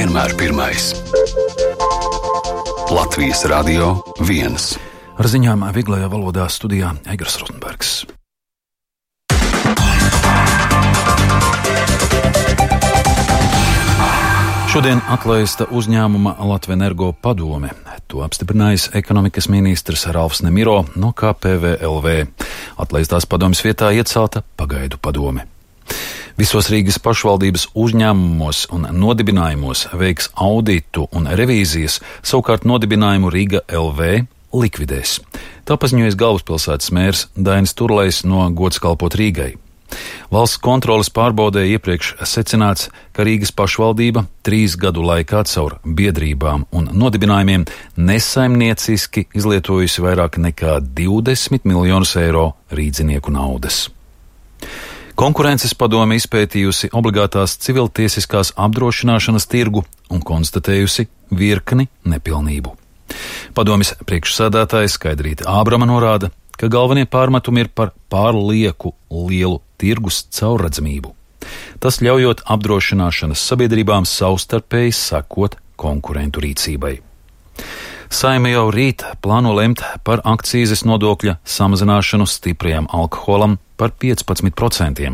vienmēr pirmais. Latvijas Radio 1. Ar ziņām vieglajā valodā studijā Eigars Rozenbergs. Šodien atlaista uzņēmuma Latvenergo padome. To apstiprinājis ekonomikas ministrs Ralfs Nemiro no KPVLV. Atlaistās padomes vietā iecelta pagaidu padome. Visos Rīgas pašvaldības uzņēmumos un nodibinājumos veiks auditu un revīzijas, savukārt nodibinājumu Riga LV likvidēs. Tā paziņojas galvaspilsētas mērs Dainis Turlejs no Gods kalpot Rīgai. Valsts kontroles pārbaudē iepriekš secināts, ka Rīgas pašvaldība 3 gadu laikā caur biedrībām un nodibinājumiem nesaimnieciski izlietojusi vairāk nekā 20 miljonus eiro rīdzinieku naudas. Konkurences padome izpētījusi obligātās civiltiesiskās apdrošināšanas tirgu un konstatējusi virkni nepilnību. Padomes priekšsēdētājs Skaidrīte Ābrama norāda, ka galvenie pārmetumi ir par pārlieku lielu tirgus caurredzamību. Tas ļaujot apdrošināšanas sabiedrībām savstarpēji sekot konkurentu rīcībai. Saime jau rīt plāno lemt par akcīzes nodokļa samazināšanu stiprajam alkoholam par 15%.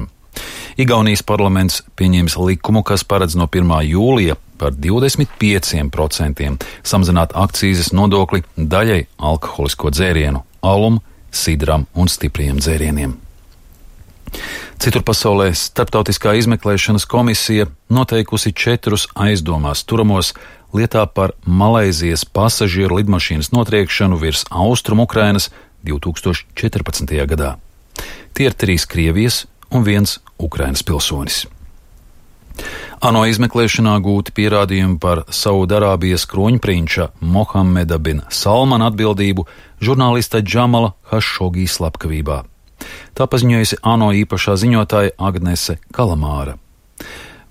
Igaunijas parlaments pieņems likumu, kas paredz no 1. jūlija par 25% samazināt akcīzes nodokli daļai alkoholisko dzērienu, alum, sidram un stipriem dzērieniem. Citur pasaulē Starptautiskā izmeklēšanas komisija noteikusi 4 aizdomās turamos lietā par Malaizijas pasažieru lidmašīnas notriekšanu virs Austrumu Ukrainas 2014. gadā. Tie ir 3 Krievijas un 1 Ukrainas pilsonis. ANO izmeklēšanā gūti pierādījumi par Saudarābijas kroņprinča Mohameda bin Salmana atbildību žurnālista Džamala Hašogī slepkavībā. Tā paziņojusi ANO īpašā ziņotāja Agnese Kalamāra.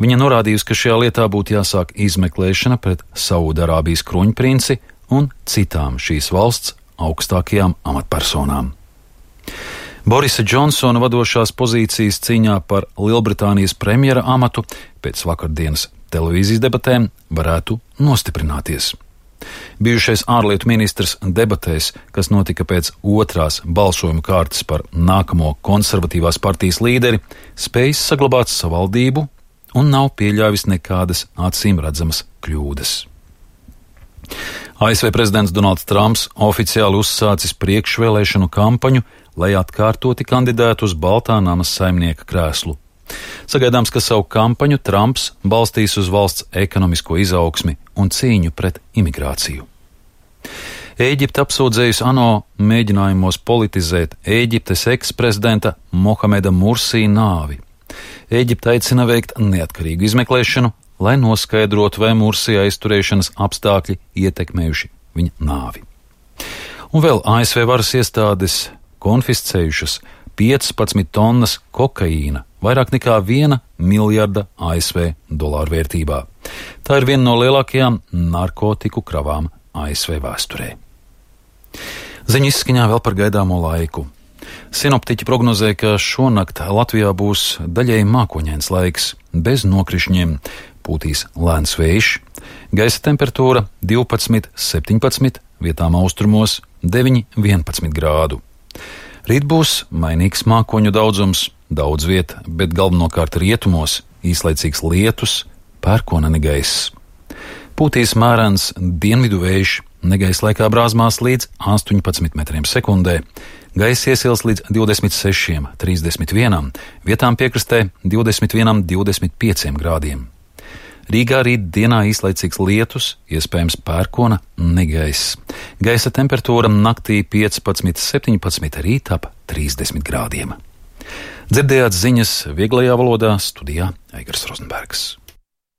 Viņa norādījusi, ka šajā lietā būtu jāsāk izmeklēšana pret Saudarābijas kroņprinci un citām šīs valsts augstākajām amatpersonām. Borisa Džonsona vadošās pozīcijas cīņā par Lielbritānijas premjera amatu pēc vakardienas televīzijas debatēm varētu nostiprināties. Bijušais ārlietu ministrs debatēs, kas notika pēc 2. balsojuma kārtas par nākamo konservatīvās partijas līderi, spējis saglabāt savaldību un nav pieļāvis nekādas acīm redzamas kļūdas. ASV prezidents Donalds Trumps oficiāli uzsācis priekšvēlēšanu kampaņu, lai atkārtoti kandidētu uz Baltā nama saimnieka krēslu. Sagaidāms, ka savu kampaņu Trumps balstīs uz valsts ekonomisko izaugsmi un cīņu pret imigrāciju. Ēģipte apsūdzējusi ANO mēģinājumos politizēt Ēģiptes eksprezidenta Mohameda Mursī nāvi. Ēģipte aicina veikt neatkarīgu izmeklēšanu, lai noskaidrotu, vai Mursī aizturēšanas apstākļi ietekmējuši viņa nāvi. Un vēl ASV varas iestādes konfiscējušas 15 tonnas kokaīna, vairāk nekā 1 miljarda ASV dolāru vērtībā. Tā ir viena no lielākajām narkotiku kravām ASV vēsturē. Ziņu izskaņā vēl par gaidāmo laiku. Sinoptiķi prognozē, ka šonakt Latvijā būs daļēji mākoņains laiks, bez nokrišņiem, pūtīs lēns vējš, gaisa temperatūra 12-17, vietām austrumos 9-11 grādu. Rīt būs mainīgs mākoņu daudzums, daudz viet, bet galvenokārt rietumos īslaicīgs lietus, pērkona negaiss. Pūtīs mērens dienvidu vējš, negaisa laikā brāzmās līdz 18 metriem sekundē, gaisa iesils līdz 26-31, vietām piekrastē 21-25 grādiem. Rīgā rīt dienā īslaicīgs lietus, iespējams pērkona negaiss. Gaisa temperatūra naktī 15-17, rīt ap 30 grādiem. Dzirdējāt ziņas vieglajā valodā, studijā Eigars Rozenbergs.